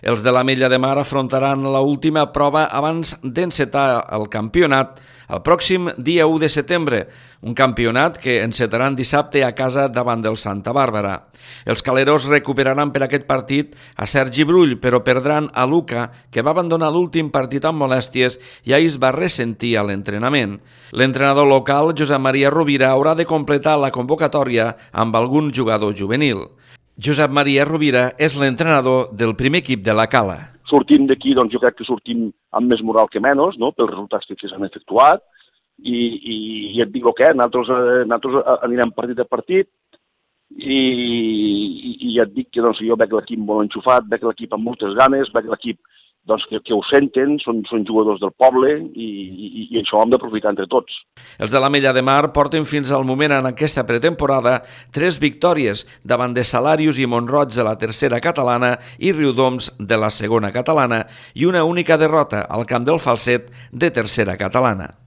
Els de l'Ametlla de Mar afrontaran l'última prova abans d'encetar el campionat el pròxim dia 1 de setembre, un campionat que encetaran dissabte a casa davant del Santa Bàrbara. Els caleros recuperaran per aquest partit a Sergi Brull, però perdran a Luca, que va abandonar l'últim partit amb molèsties i ahir es va ressentir a l'entrenament. L'entrenador local, Josep Maria Rovira, haurà de completar la convocatòria amb algun jugador juvenil. Josep Maria Rovira és l'entrenador del primer equip de la Cala. Sortim d'aquí, doncs jo crec que sortim amb més moral que menys, no?, pels resultats que s'han efectuat, i et dic el que, nosaltres anirem partit a partit, i ja et dic que doncs, jo veig l'equip molt enxufat, veig l'equip amb moltes ganes, veig l'equip doncs, que ho senten, són jugadors del poble i això ho hem d'aprofitar entre tots. Els de l'Ametlla de Mar porten fins al moment en aquesta pretemporada 3 victòries davant de Salàrius i Mont-roig de la tercera catalana i Riudoms de la segona catalana i una única derrota al camp del Falset de tercera catalana.